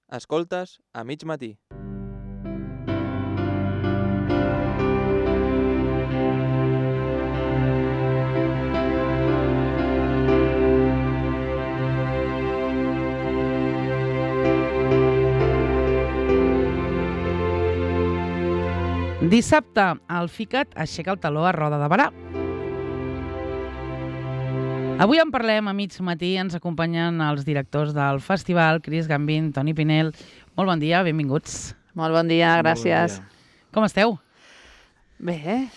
Escoltes a mig matí. Dissabte, el FICAT aixeca el taló a Roda de Berà. Avui en parlem a mig matí, ens acompanyen els directors del festival, Cris Gambín, Toni Pinell. Molt bon dia, benvinguts. Molt bon dia, gràcies. Bon dia. Com esteu? Bé,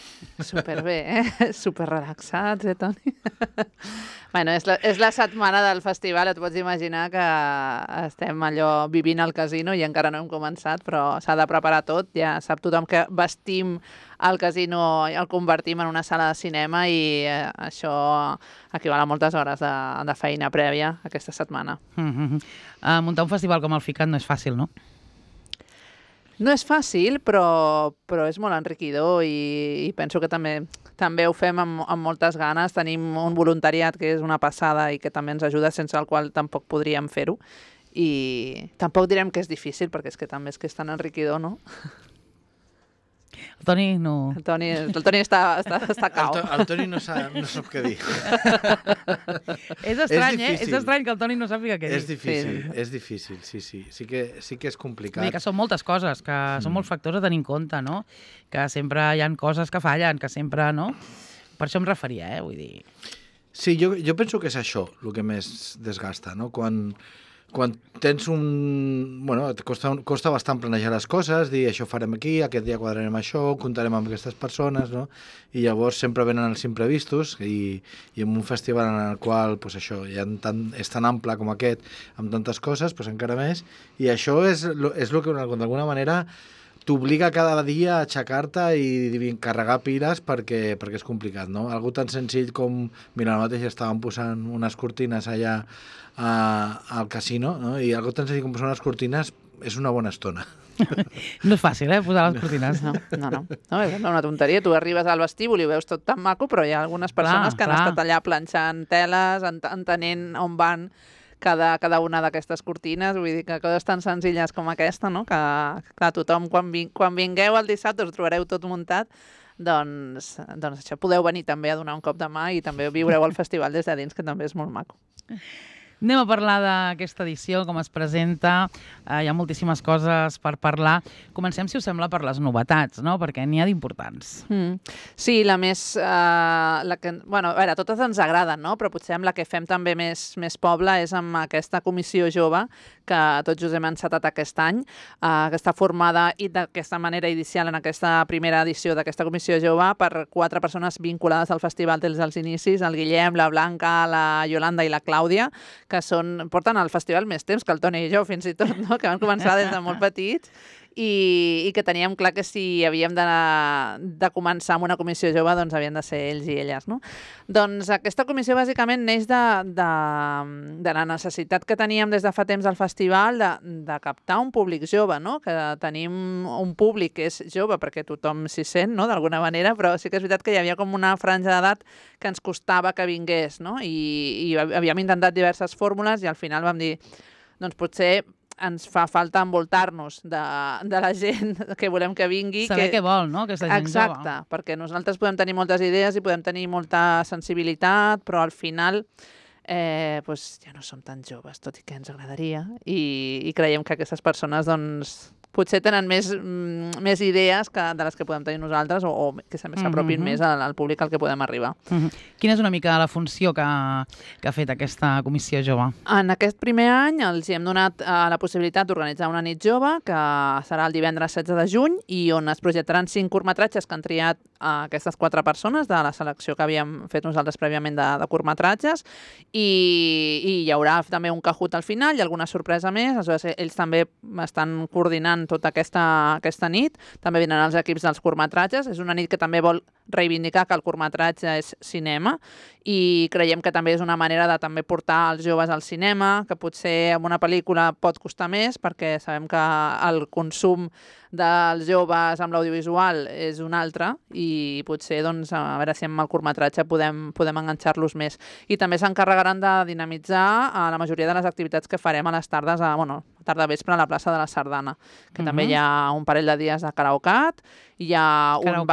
superbé, superrelaxats, Toni? Bueno, és la setmana del festival, et pots imaginar que estem allò vivint al casino i encara no hem començat, però s'ha de preparar tot. Ja sap tothom que vestim el casino i el convertim en una sala de cinema i això equival a moltes hores de feina prèvia aquesta setmana. Muntar un festival com el FICAT no és fàcil, no? No és fàcil, però és molt enriquidor i penso que també ho fem amb moltes ganes. Tenim un voluntariat que és una passada i que també ens ajuda, sense el qual tampoc podríem fer-ho. I tampoc direm que és difícil, perquè és que també és tan enriquidor, no? El Toni no... El Toni està cau. El Toni no sap què dir. És estrany, és estrany que el Toni no sàpiga què dir. És difícil, sí. Sí que és complicat. Que són moltes coses, que són molts factors a tenir en compte, no? Que sempre hi ha coses que fallen, que sempre, no? Per això em referia, vull dir... Sí, jo penso que és això el que més desgasta, no? Quan tens Bueno, et costa bastant planejar les coses, dir això farem aquí, aquest dia quadrarem això, comptarem amb aquestes persones, no? I llavors sempre venen els imprevistos i en un festival en el qual és tan ample com aquest, amb tantes coses, encara més, i això és el que d'alguna manera t'obliga cada dia a aixecar-te i carregar piles perquè és complicat, no? Algo tan senzill com, mira, ara mateix estàvem posant unes cortines allà al casino, no? I algo tan senzill com posar unes cortines és una bona estona. No és fàcil, posar les cortines. No, és una tonteria. Tu arribes al vestíbul i ho veus tot tan maco, però hi ha algunes persones que han estat allà planxant teles, entenent on van cada una d'aquestes cortines, vull dir que coses tan senzilles com aquesta, no? Que clar, tothom, quan vingueu el dissabte us trobareu tot muntat, doncs això, podeu venir també a donar un cop de mà i també viureu el festival des de dins, que també és molt maco. Anem a parlar d'aquesta edició, com es presenta. Hi ha moltíssimes coses per parlar. Comencem, si us sembla, per les novetats, no? Perquè n'hi ha d'importants. Sí, la més... Bueno, a veure, totes ens agraden, no? Però potser amb la que fem també més poble és amb aquesta comissió jove que tots us hem encetat aquest any, que està formada i d'aquesta manera inicial en aquesta primera edició d'aquesta comissió jove per 4 persones vinculades al festival des dels inicis, el Guillem, la Blanca, la Yolanda i la Clàudia, que porten al festival més temps que el Toni i jo, fins i tot, no? Que van començar des de molt petits i que teníem clar que si havíem de començar amb una comissió jove, doncs havien de ser ells i elles, no? Doncs aquesta comissió bàsicament neix de la necessitat que teníem des de fa temps al festival de captar un públic jove, no? Que tenim un públic que és jove perquè tothom s'hi sent, no? D'alguna manera, però sí que és veritat que hi havia com una franja d'edat que ens costava que vingués, no? I havíem intentat diverses fórmules i al final vam dir, doncs potser ens fa falta envoltar-nos de la gent que volem que vingui. Saber què vol, no?, aquesta gent jove. Exacte, perquè nosaltres podem tenir moltes idees i podem tenir molta sensibilitat, però al final ja no som tan joves, tot i que ens agradaria, i creiem que aquestes persones doncs potser tenen més idees de les que podem tenir nosaltres o que s'apropin més al públic al que podem arribar. Quina és una mica la funció que ha fet aquesta comissió jove? En aquest primer any els hem donat la possibilitat d'organitzar una nit jove que serà el divendres 16 de juny i on es projectaran 5 curtmetratges que han triat aquestes 4 persones de la selecció que havíem fet nosaltres prèviament de curtmetratges i hi haurà també un Kahoot al final i alguna sorpresa més. Aleshores, ells també estan coordinant tota aquesta nit. També vindran els equips dels curtmetratges. És una nit que també vol reivindicar que el curtmetratge és cinema i creiem que també és una manera de també portar els joves al cinema, que potser en una pel·lícula pot costar més perquè sabem que el consum dels joves amb l'audiovisual és un altre i potser doncs, a veure si amb el curtmetratge podem enganxar-los més. I també s'encarregaran de dinamitzar la majoria de les activitats que farem a les tardes, tarda-vespre a la plaça de la Sardana, que també hi ha un parell de dies de karaokat, hi ha un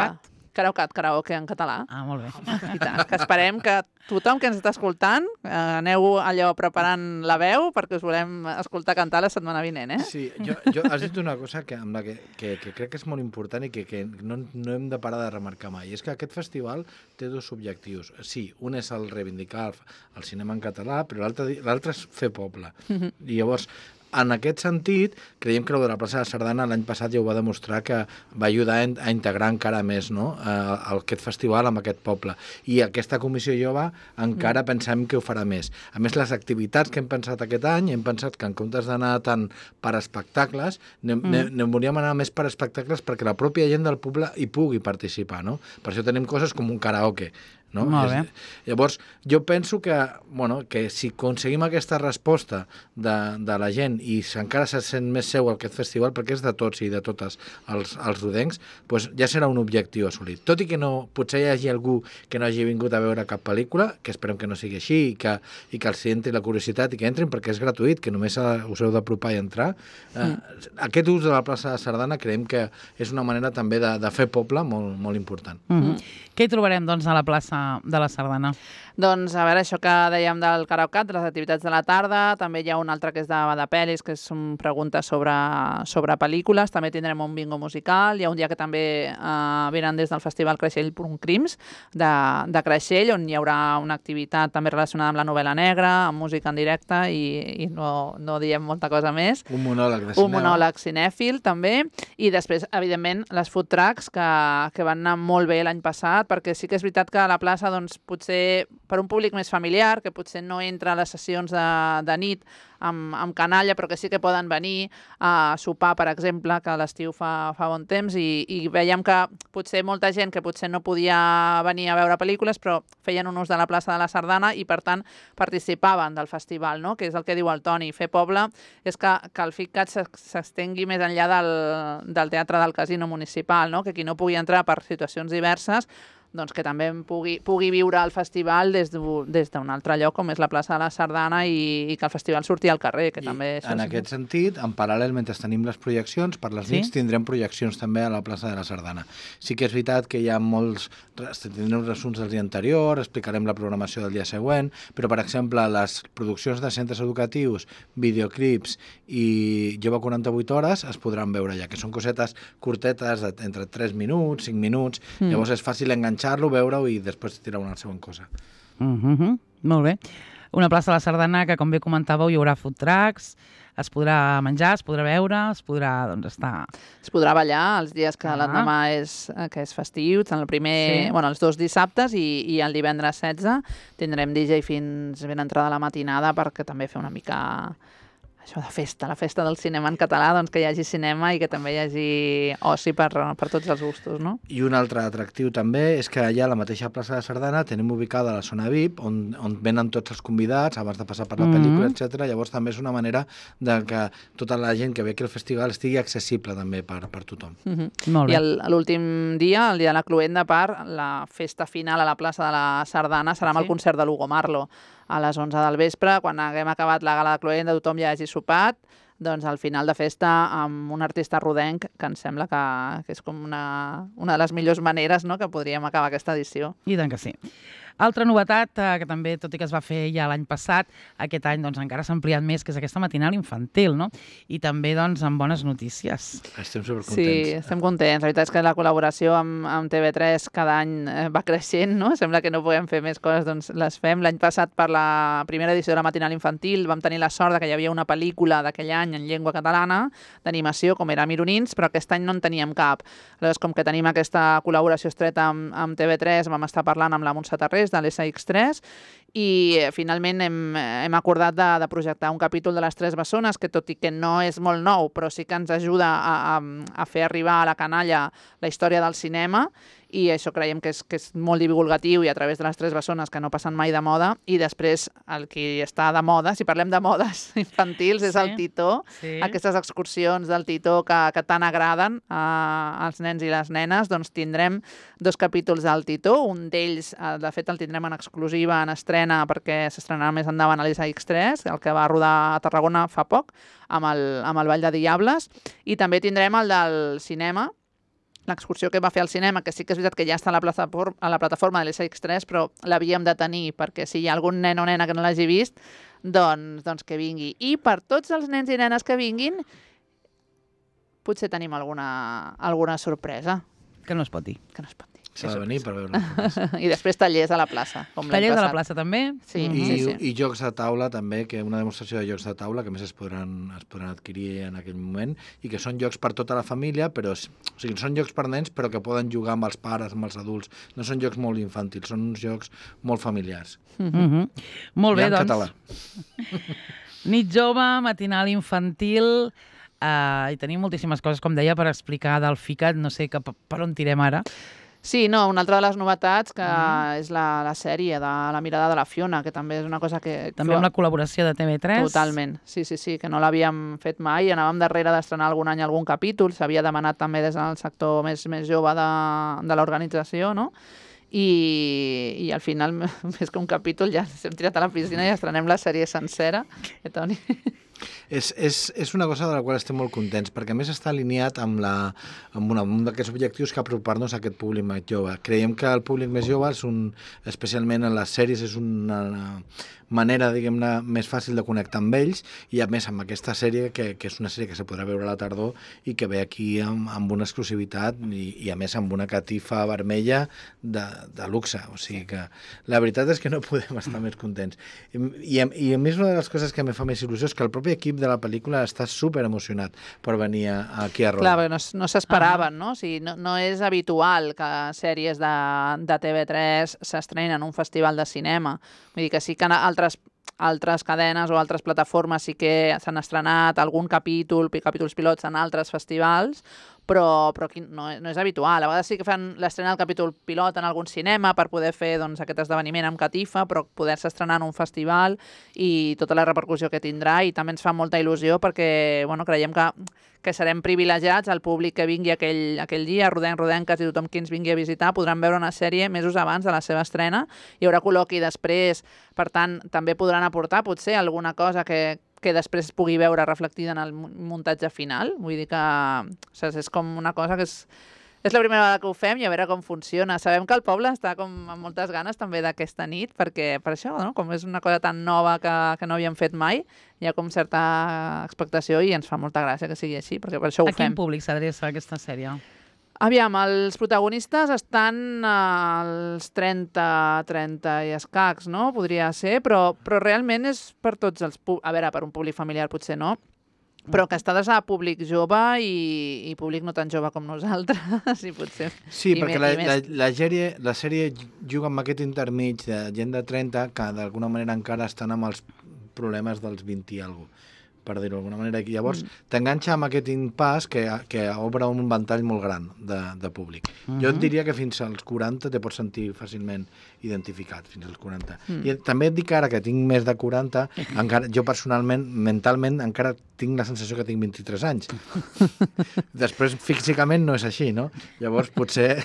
karaoke en català. Ah, molt bé. I tant, que esperem que tothom que ens està escoltant aneu allò preparant la veu perquè us volem escoltar cantar la setmana vinent, eh? Sí, has dit una cosa amb la que crec que és molt important i que no hem de parar de remarcar mai. És que aquest festival té dos objectius. Sí, un és el reivindicar el cinema en català, però l'altre és fer poble. I llavors, en aquest sentit, creiem que el de la plaça de Sardana l'any passat ja ho va demostrar que va ajudar a integrar encara més, no?, aquest festival amb aquest poble. I aquesta comissió jove encara pensem que ho farà més. A més, les activitats que hem pensat aquest any, hem pensat que en comptes d'anar tant per espectacles, volíem anar més per espectacles perquè la pròpia gent del poble hi pugui participar, no? Per això tenim coses com un karaoke, no? Molt bé. Llavors, jo penso que si aconseguim aquesta resposta de la gent i encara se sent més seu aquest festival, perquè és de tots i de totes els rodencs, doncs ja serà un objectiu assolit. Tot i que potser hi hagi algú que no hagi vingut a veure cap pel·lícula, que esperem que no sigui així, i que els entri la curiositat i que entrin perquè és gratuït, que només us heu d'apropar i entrar. Aquest ús de la plaça de Sardana creiem que és una manera també de fer poble molt, molt important. Què hi trobarem, doncs, a la plaça de la Sardana? Doncs, a veure, això que dèiem del karaoke, de les activitats de la tarda, també hi ha un altre que és de pel·lis, que són preguntes sobre pel·lícules, també tindrem un bingo musical, hi ha un dia que també venen des del Festival Creixell Crims, de Creixell, on hi haurà una activitat també relacionada amb la novel·la negra, amb música en directe, i no diem molta cosa més. Un monòleg de cinema. Un monòleg cinèfil, també, i després, evidentment, les food trucks, que van anar molt bé l'any passat, perquè sí que és veritat que a la plaça, doncs, potser per un públic més familiar, que potser no entra a les sessions de nit amb canalla, però que sí que poden venir a sopar, per exemple, que a l'estiu fa bon temps, i veiem que potser molta gent que potser no podia venir a veure pel·lícules, però feien un ús de la plaça de la Sardana i, per tant, participaven del festival, no?, que és el que diu el Toni. Fer poble és que el FICCAT s'estengui més enllà del Teatre del Casino Municipal, no?, que qui no pugui entrar per situacions diverses, doncs que també pugui viure el festival des d'un altre lloc, com és la plaça de la Sardana, i que el festival surti al carrer, que també... En aquest sentit, en paral·lel, mentre tenim les projeccions, per les nits tindrem projeccions també a la plaça de la Sardana. Sí que és veritat que hi ha tindrem resums del dia anterior, explicarem la programació del dia següent, però, per exemple, les produccions de centres educatius, videoclips i Jove 48 hores es podran veure ja, que són cosetes curtetes entre 3 minuts, 5 minuts, llavors és fàcil enganxar-lo, veure-ho i després tirar una següent cosa. Molt bé. Una plaça de la Sardana que, com bé comentàveu, hi haurà food trucks, es podrà menjar, es podrà veure, es podrà, doncs, estar... Es podrà ballar els dies que l'endemà que és festiu, els 2 dissabtes i el divendres 16 tindrem DJ fins ben entrada la matinada perquè també fer una mica... això de festa, la festa del cinema en català, doncs que hi hagi cinema i que també hi hagi oci per tots els gustos, no? I un altre atractiu també és que allà a la mateixa plaça de Sardana tenim ubicada la zona VIP, on venen tots els convidats abans de passar per la pel·lícula, etc. Llavors també és una manera de que tota la gent que ve aquí al festival estigui accessible també per tothom. Molt bé. I l'últim dia, el dia de la Cluenda, la festa final a la plaça de la Sardana serà amb el concert de l'Hugo Marlo. A les 11 del vespre, quan haguem acabat la gala de Cluenda, tothom ja hagi sopat, doncs al final de festa amb un artista rodenc que em sembla que és com una de les millors maneres, no?, que podríem acabar aquesta edició. I tant que sí. Altra novetat, que també, tot i que es va fer ja l'any passat, aquest any doncs, encara s'ha ampliat més, que és aquesta matinal infantil, no? I també doncs, amb bones notícies. Estem supercontents. Sí, estem contents. La veritat és que la col·laboració amb TV3 cada any va creixent, no? Sembla que no podem fer més coses, doncs les fem. L'any passat, per la primera edició de la matinal infantil, vam tenir la sort que hi havia una pel·lícula d'aquell any en llengua catalana, d'animació, com era Mironins, però aquest any no en teníem cap. Aleshores, com que tenim aquesta col·laboració estreta amb TV3, vam estar parlant amb la Montse Tarrés, de l'SX3, i finalment hem acordat de projectar un capítol de les Tres Bessones, que tot i que no és molt nou, però sí que ens ajuda a fer arribar a la canalla la història del cinema, i això creiem que és molt divulgatiu i a través de les Tres Bessones, que no passen mai de moda. I després el que està de moda, si parlem de modes infantils, és el Titó, aquestes excursions del Titó que tant agraden als nens i les nenes. Doncs tindrem 2 capítols del Titó, un d'ells, de fet el tindrem en exclusiva en estrena s'estrena perquè s'estrenarà més endavant a l'SX3, el que va rodar a Tarragona fa poc, amb el Ball de Diables, i també tindrem el del cinema, l'excursió que va fer al cinema, que sí que és veritat que ja està a la plataforma de l'SX3, però l'havíem de tenir, perquè si hi ha algun nen o nena que no l'hagi vist, doncs que vingui. I per tots els nens i nenes que vinguin, potser tenim alguna sorpresa. Que no es pot dir. Que no es pot dir. S'ha de venir per veure. I després tallers a la plaça. Tallers a la plaça també? Sí, sí. I jocs de taula també, que una demostració de jocs de taula que més es podran adquirir en aquell moment i que són jocs per tota la família, però són jocs per nens però que poden jugar amb els pares, amb els adults. No són jocs molt infantils, són uns jocs molt familiars. Molt bé, I en doncs. català. Nit jove, matinal infantil, i tenim moltíssimes coses, com deia, per explicar del FICAT. No sé per on tirem ara. Sí, no, una altra de les novetats que és la sèrie de La mirada de la Fiona, que també és una cosa que... També amb la col·laboració de TV3. Totalment, sí, que no l'havíem fet mai. Anàvem darrere d'estrenar algun any algun capítol, s'havia demanat també des del sector més jove de l'organització, no? I al final, més que un capítol, ja ens hem tirat a la piscina i estrenem la sèrie sencera. Toni? És una cosa de la qual estem molt contents, perquè a més està alineat amb un d'aquests objectius que apropar-nos a aquest públic més jove. Creiem que el públic més jove, especialment en les sèries, és una manera, diguem-ne, més fàcil de connectar amb ells, i a més amb aquesta sèrie, que és una sèrie que se podrà veure a la tardor i que ve aquí amb una exclusivitat i a més amb una catifa vermella de luxe. O sigui que la veritat és que no podem estar més contents. I a més una de les coses que me fa més il·lusió és que el propi equip de la pel·lícula està super emocionat per venir aquí a rodar. Clar, no s'esperaven, no? O sigui, no és habitual que sèries de TV3 s'estrenin en un festival de cinema. Vull dir que sí que altres cadenes o altres plataformes sí que s'han estrenat algun capítols pilots en altres festivals, però aquí no és habitual. A vegades sí que fan l'estrena del capítol pilot en algun cinema per poder fer aquest esdeveniment amb catifa, però poder-se estrenar en un festival i tota la repercussió que tindrà, i també ens fa molta il·lusió perquè creiem que serem privilegiats, el públic que vingui aquell dia, rodenques i tothom qui ens vingui a visitar podran veure una sèrie mesos abans de la seva estrena, hi haurà col·loqui després, per tant també podran aportar potser alguna cosa que després es pugui veure reflectida en el muntatge final. Vull dir que és com una cosa que és la primera vegada que ho fem i a veure com funciona. Sabem que el poble està amb moltes ganes també d'aquesta nit, perquè per això, no? Com és una cosa tan nova que no havíem fet mai, hi ha com certa expectació i ens fa molta gràcia que sigui així, perquè per això ho fem. A quin públic s'adreça aquesta sèrie? Aviam, els protagonistes estan als 30 i escacs, no? Podria ser, però realment és per tots els públics. A veure, per un públic familiar potser no, però que està adreçat a públic jove i públic no tan jove com nosaltres, i potser... Sí, perquè la sèrie juga amb aquest intermig de gent de 30 que d'alguna manera encara estan amb els problemes dels 20 i alguna cosa, per dir-ho d'alguna manera. I llavors t'enganxa amb aquest impàs que obre un ventall molt gran de públic. Jo et diria que fins als 40 te pots sentir fàcilment identificat, fins als 40. I també et dic ara que tinc més de 40, encara, jo personalment, mentalment, encara tinc la sensació que tinc 23 anys. Després, físicament, no és així, no? Llavors, potser...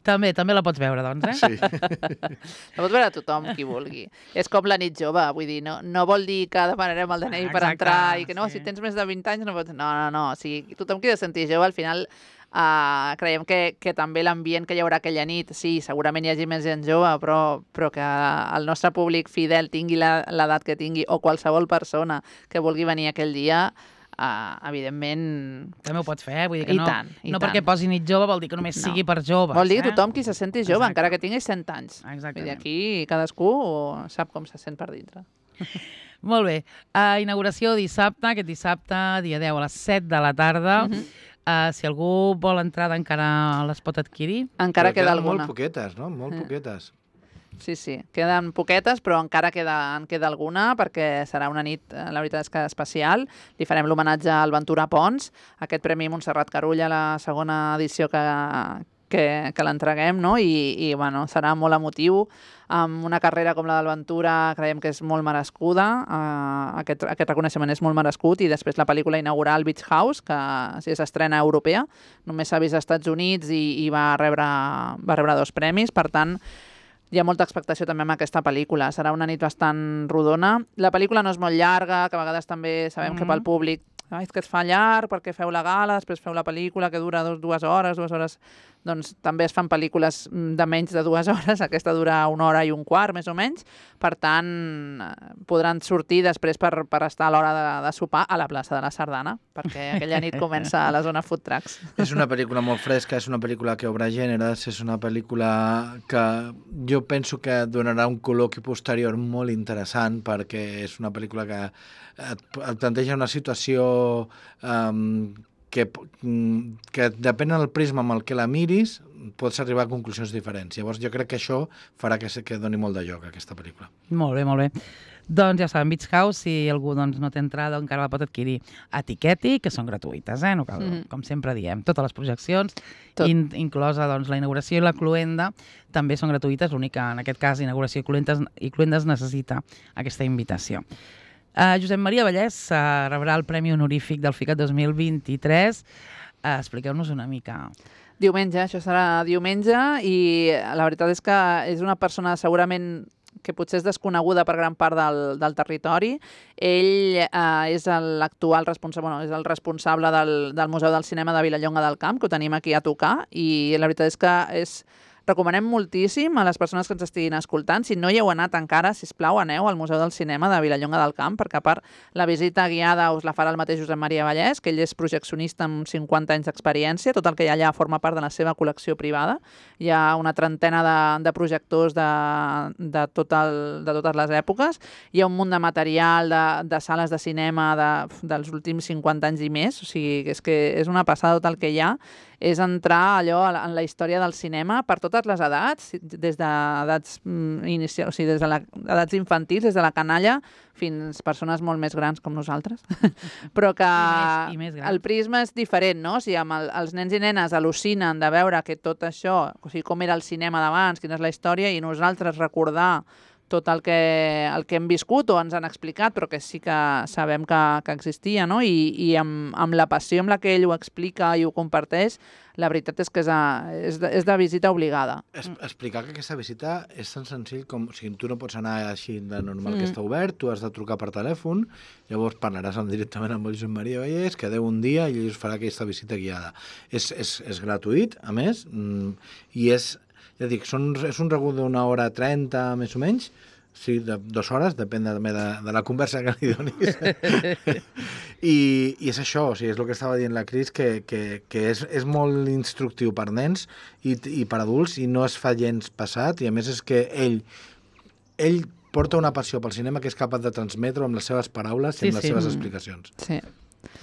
També la pots veure, doncs, eh? Sí. La pot veure tothom, qui vulgui. És com la nit jove, vull dir, no vol dir que demanarem el DNI per entrar i que no, si tens més de 20 anys no pots... No, o sigui, tothom qui ha de sentir jove, al final creiem que també l'ambient que hi haurà aquella nit, sí, segurament hi hagi més gent jove, però que el nostre públic fidel tingui l'edat que tingui, o qualsevol persona que vulgui venir aquell dia, evidentment... També ho pots fer, vull dir que no perquè posi nit jove vol dir que només sigui per joves. Vol dir que tothom qui se senti jove, encara que tingui 100 anys. Vull dir, aquí cadascú sap com se sent per dintre. Molt bé. Inauguració dissabte, aquest dissabte, dia 10 a les 7 de la tarda. Si algú vol entrada encara les pot adquirir. Encara queda alguna. Molt poquetes, no? Molt poquetes. Sí, queden poquetes, però encara queda alguna, perquè serà una nit, la veritat és que especial. Li farem l'homenatge al Ventura Pons, aquest Premi Montserrat Carulla, la segona edició que l'entreguem, no? I bueno, serà molt emotiu. Amb una carrera com la del Ventura creiem que és molt merescuda, aquest reconeixement és molt merescut, i després la pel·lícula inaugural Beach House, que és estrena europea, només s'ha vist als Estats Units i va rebre 2 premis, per tant, hi ha molta expectació també amb aquesta pel·lícula. Serà una nit bastant rodona. La pel·lícula no és molt llarga, que a vegades també sabem que pel públic és que es fa llarg perquè feu la gala, després feu la pel·lícula que dura 2 hores, doncs també es fan pel·lícules de menys de 2 hores, aquesta dura 1 hora i un quart, més o menys, per tant podran sortir després per estar a l'hora de sopar a la plaça de la Sardana, perquè aquella nit comença a la zona Food Trucks. És una pel·lícula molt fresca, és una pel·lícula que obre gèneres, és una pel·lícula que jo penso que donarà un col·loqui posterior molt interessant, perquè és una pel·lícula que et planteja una situació que depèn del prisma amb el que la miris, pots arribar a conclusions diferents. Llavors jo crec que això farà que doni molt de lloc a aquesta pel·lícula. Molt bé, molt bé. Doncs ja saben, Beach House, si algú no té entrada encara la pot adquirir a Tiqueti, que són gratuïtes, no cal, com sempre diem. Totes les projeccions, inclosa doncs, la inauguració i la cluenda, també són gratuïtes. L'únic que en aquest cas, inauguració i cluendes necessita aquesta invitació. Josep Maria Vallès rebrà el Premi Honorífic del FICAT 2023. Expliqueu-nos una mica. Diumenge, això serà diumenge, i la veritat és que és una persona segurament que potser és desconeguda per gran part del territori. Ell és l'actual responsable, és el responsable del Museu del Cinema de Vilallonga del Camp, que ho tenim aquí a tocar, i la veritat és que recomanem moltíssim a les persones que ens estiguin escoltant. Si no hi heu anat encara, sisplau, aneu al Museu del Cinema de Vilallonga del Camp, perquè a part la visita guiada us la farà el mateix Josep Maria Vallès, que ell és projeccionista amb 50 anys d'experiència. Tot el que hi ha allà forma part de la seva col·lecció privada. Hi ha una trentena de projectors de totes les èpoques. Hi ha un munt de material de sales de cinema dels últims 50 anys i més. O sigui, és que és una passada tot el que hi ha. És entrar allò en la història del cinema per totes les edats, des d'edats inicials, o sigui, des d'edats infantils, des de la canalla fins persones molt més grans com nosaltres. Però que el prisma és diferent, no? O sigui, els nens i nenes al·lucinen de veure que tot això, o sigui, com era el cinema d'abans, quina és la història, i nosaltres recordar tot el que hem viscut o ens han explicat, però que sí que sabem que existia, no? I amb la passió amb la que ell ho explica i ho comparteix, la veritat és que és de visita obligada. Explicar que aquesta visita és tan senzill com... O sigui, tu no pots anar així de normal que està obert, tu has de trucar per telèfon, llavors parlaràs directament amb el Josep Maria Vallès, quedeu un dia i ell us farà aquesta visita guiada. És gratuït, a més, i és... Ja dic, és un regut d'una hora 30, més o menys, sí, de 2 hores, depèn de la conversa que li donis. I és això, o sigui, és el que estava dient la Cris, que és molt instructiu per nens i per adults, i no es fa gens passat, i a més és que ell porta una passió pel cinema que és capaç de transmetre amb les seves paraules i amb les seves explicacions. Sí.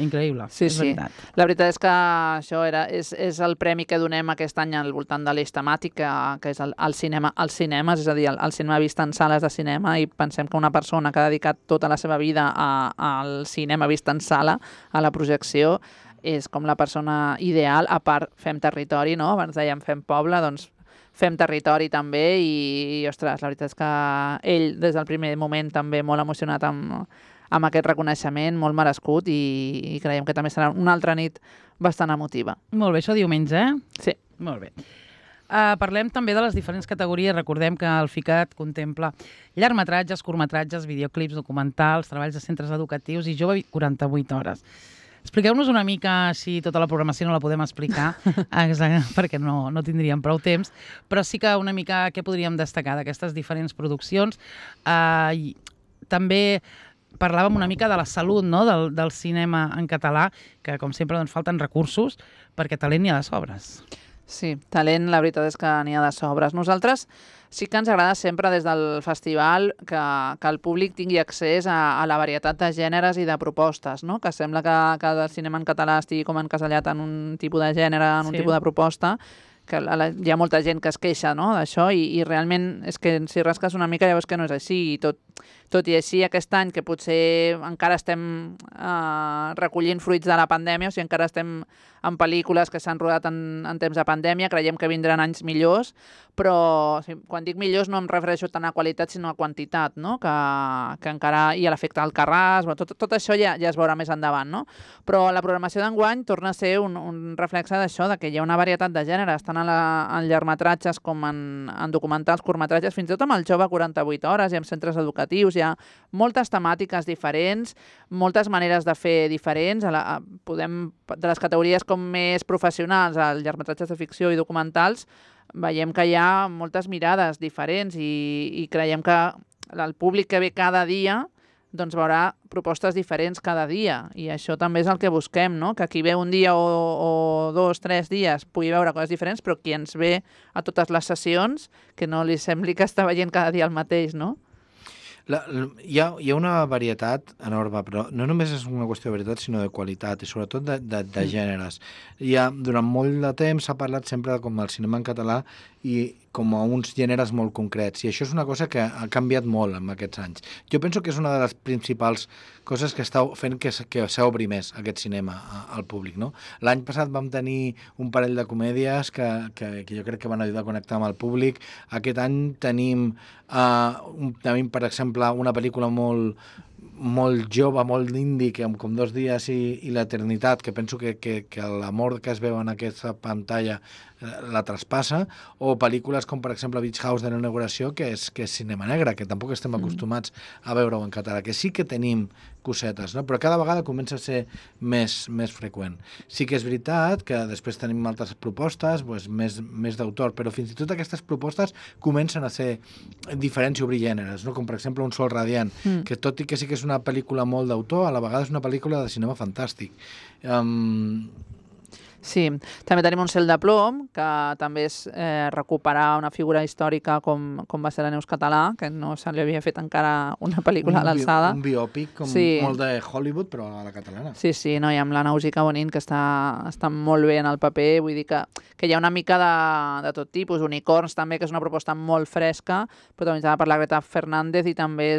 Increïble, sí, és veritat. La veritat és que això és el premi que donem aquest any al voltant de l'eix temàtic, que és el cinema als cinemes, és a dir, el cinema vist en sales de cinema, i pensem que una persona que ha dedicat tota la seva vida al cinema vist en sala, a la projecció, és com la persona ideal. A part, fem territori, no? Abans dèiem fem poble, doncs fem territori també, i ostres, la veritat és que ell des del primer moment també molt emocionat amb aquest reconeixement, molt merescut, i creiem que també serà una altra nit bastant emotiva. Molt bé, això diumenge, Sí. Molt bé. Parlem també de les diferents categories. Recordem que el FICAT contempla llargmetratges, curtmetratges, videoclips, documentals, treballs de centres educatius i jove 48 hores. Expliqueu-nos una mica, així tota la programació no la podem explicar, perquè no tindríem prou temps, però sí que una mica què podríem destacar d'aquestes diferents produccions. També parlàvem una mica de la salut, no? del cinema en català, que com sempre doncs, falten recursos, perquè talent n'hi ha de sobres. Sí, talent, la veritat és que n'hi ha de sobres. Nosaltres sí que ens agrada sempre des del festival que el públic tingui accés a la varietat de gèneres i de propostes, no? Que sembla que el cinema en català estigui com encasellat en un tipus de gènere, en un tipus de proposta, que hi ha molta gent que es queixa, no? D'això, i realment és que si rasques una mica ja veus que no és així, i tot i així, aquest any que potser encara estem recollint fruits de la pandèmia, o sigui, encara estem en pel·lícules que s'han rodat en temps de pandèmia, creiem que vindran anys millors, però quan dic millors no em refereixo tant a qualitat sinó a quantitat, no? Que encara... i a l'efecte Alcarràs, tot això ja es veurà més endavant, no? Però la programació d'enguany torna a ser un reflexe d'això, de que hi ha una varietat de gèneres, tant en llargmetratges com en documentals, curtmetratges, fins i tot amb el jove 48 hores i amb centres educatius, hi ha moltes temàtiques diferents, moltes maneres de fer diferents, de les categories com més professionals, els llargmetratges de ficció i documentals, veiem que hi ha moltes mirades diferents i creiem que el públic que ve cada dia doncs veurà propostes diferents cada dia i això també és el que busquem, no? Que qui ve un dia o 2, 3 dies pugui veure coses diferents, però qui ens ve a totes les sessions que no li sembli que està veient cada dia el mateix, no? Hi ha una varietat enorme, però no només és una qüestió de varietat, sinó de qualitat, i sobretot de gèneres. Durant molt de temps s'ha parlat sempre com el cinema en català i com a uns gèneres molt concrets, i això és una cosa que ha canviat molt en aquests anys. Jo penso que és una de les principals coses que està fent que s'obri més aquest cinema al públic, no? L'any passat vam tenir un parell de comèdies que jo crec que van ajudar a connectar amb el públic. Aquest any tenim, per exemple, una pel·lícula molt jove, molt indie, com 2 dies i l'eternitat, que penso que l'amor que es veu en aquesta pantalla la traspassa, o pel·lícules com, per exemple, Beach House de l'inauguració, que és cinema negre, que tampoc estem acostumats a veure-ho en català, que sí que tenim cosetes, no? Però cada vegada comença a ser més freqüent. Sí que és veritat que després tenim altres propostes, doncs, més d'autor, però fins i tot aquestes propostes comencen a ser diferents i obrir gèneres, no? Com per exemple Un sol radiant, que tot i que sí que és una pel·lícula molt d'autor, a la vegada és una pel·lícula de cinema fantàstic. Sí, també tenim Un cel de plom, que també és recuperar una figura històrica com va ser la Neus Català, que no se li havia fet encara una pel·lícula a l'alçada. Un biòpic molt de Hollywood, però a la catalana. Sí, no, i amb la Nausica Bonin, que està molt bé en el paper, vull dir que hi ha una mica de tot tipus. Unicorns també, que és una proposta molt fresca, protagonitzada per la Greta Fernández, i també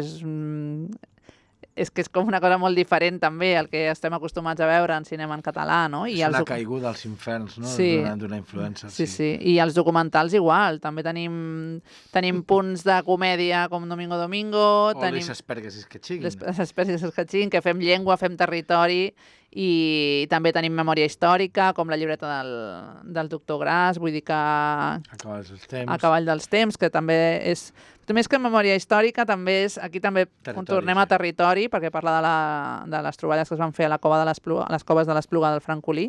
és que és com una cosa molt diferent també al que estem acostumats a veure en cinema en català, no? És la caiguda als inferns, no? Sí. D'una influença. Sí. I els documentals igual. També tenim punts de comèdia com Domingo Domingo. O Les Asperges que xiguin. Les Asperges que xiguin, que fem llengua, fem territori, i també tenim memòria històrica, com la llibreta del doctor Gras, vull dir que... A cavall dels temps, que també és... Més que memòria històrica, també és... Aquí també tornem a territori, perquè parla de les troballes que es van fer a les coves de l'Espluga del Francolí,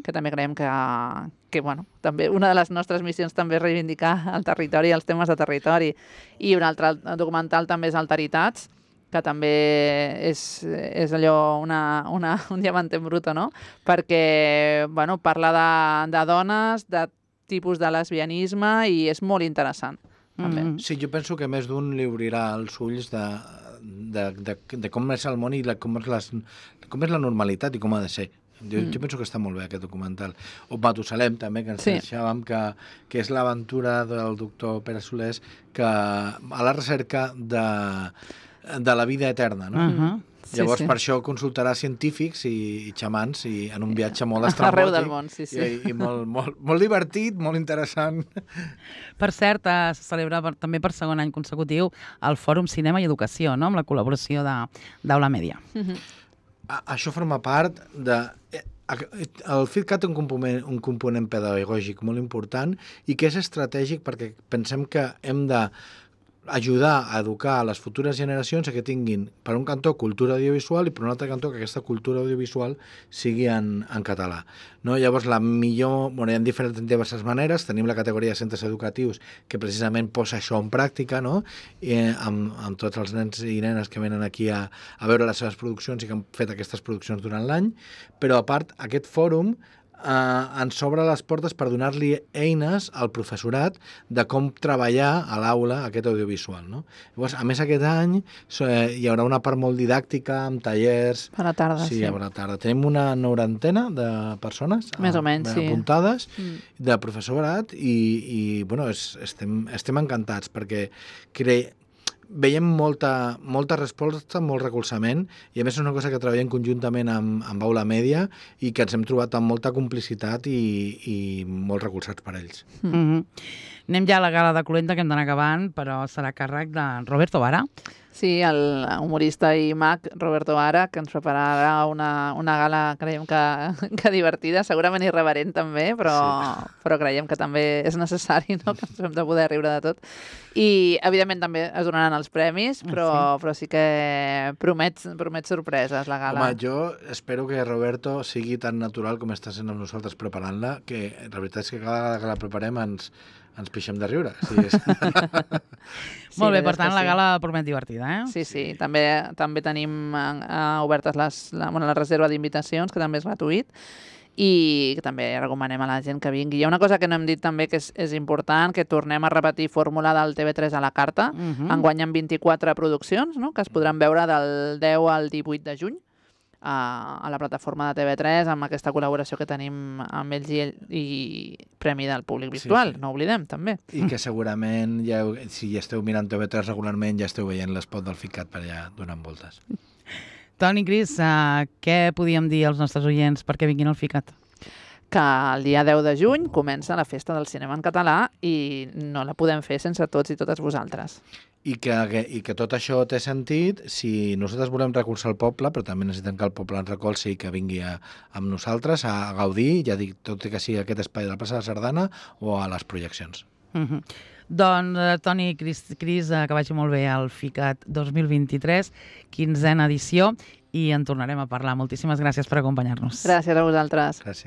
que també creiem que bueno, també una de les nostres missions també és reivindicar el territori i els temes de territori. I un altre documental també és Alteritats, que també és allò un diamante bruto, no? Perquè bueno, parla de dones, de tipus de lesbianisme, i és molt interessant. Sí, jo penso que més d'un li obrirà els ulls de com és el món i com és la normalitat i com ha de ser. Jo penso que està molt bé aquest documental. O Matusalem, també, que ens deixàvem, que és l'aventura del doctor Pere Solés, que a la recerca de la vida eterna, no? Llavors, per això consultarà científics i xamans en un viatge molt estrambòtic. Arreu del món, sí. I molt divertit, molt interessant. Per cert, se celebra també per segon any consecutiu el Fòrum Cinema i Educació, no? Amb la col·laboració d'Aula Mèdia. Això forma part de... El FIDCAT té un component pedagògic molt important i que és estratègic perquè pensem que hem de ajudar a educar a les futures generacions a que tinguin, per un cantó, cultura audiovisual i per un altre cantó que aquesta cultura audiovisual sigui en català. No? Llavors, hi ha diverses maneres. Tenim la categoria de centres educatius que precisament posa això en pràctica, no? Amb tots els nens i nenes que venen aquí a veure les seves produccions i que han fet aquestes produccions durant l'any. Però, a part, aquest fòrum ens obre les portes per donar-li eines al professorat de com treballar a l'aula aquest audiovisual, no? Llavors, a més, aquest any hi haurà una part molt didàctica amb tallers... Per la tarda, sí. Per la tarda. Tenim una 90 de persones més o menys, apuntades de professorat i bueno, estem encantats perquè veiem molta resposta, molt recolzament, i a més és una cosa que treballem conjuntament amb Aula Mèdia i que ens hem trobat amb molta complicitat i molt recolzats per ells. Anem ja a la gala de Colenta, que hem d'anar acabant, però serà a càrrec de Roberto Vara. Sí, el humorista i mag Roberto Vara, que ens prepararà una gala, creiem que divertida, segurament irreverent també, però creiem que també és necessari, no? Que ens hem de poder riure de tot. I, evidentment, també es donaran els premis, però sí que promet sorpreses la gala. Home, jo espero que Roberto sigui tan natural com està sent amb nosaltres preparant-la, que la veritat és que cada vegada que la preparem ens pixem de riure. Molt bé, per tant, la gala promet divertida, eh? Sí. També tenim obertes la reserva d'invitacions, que també és gratuït, i que també recomanem a la gent que vingui. Hi ha una cosa que no hem dit també que és important, que tornem a repetir fórmula del TV3 a la carta. Enguany amb 24 produccions, no?, que es podran veure del 10 al 18 de juny a la plataforma de TV3, amb aquesta col·laboració que tenim amb ells i Premi del Públic Virtual, no oblidem, també. I que segurament, si ja esteu mirant TV3 regularment, ja esteu veient l'espot del FICAT per allà donant voltes. Toni, Cris, què podíem dir als nostres oients perquè vinguin al FICAT? Que el dia 10 de juny comença la Festa del Cinema en Català i no la podem fer sense tots i totes vosaltres. I que tot això té sentit si nosaltres volem recolzar el poble, però també necessitem que el poble ens recolzi i que vingui amb nosaltres a gaudir, ja dic, tot i que sigui aquest espai de la plaça de Sardana o a les projeccions. Doncs, Toni i Cris, que vagi molt bé al FICAT 2023, 15a edició, i en tornarem a parlar. Moltíssimes gràcies per acompanyar-nos. Gràcies a vosaltres. Gràcies.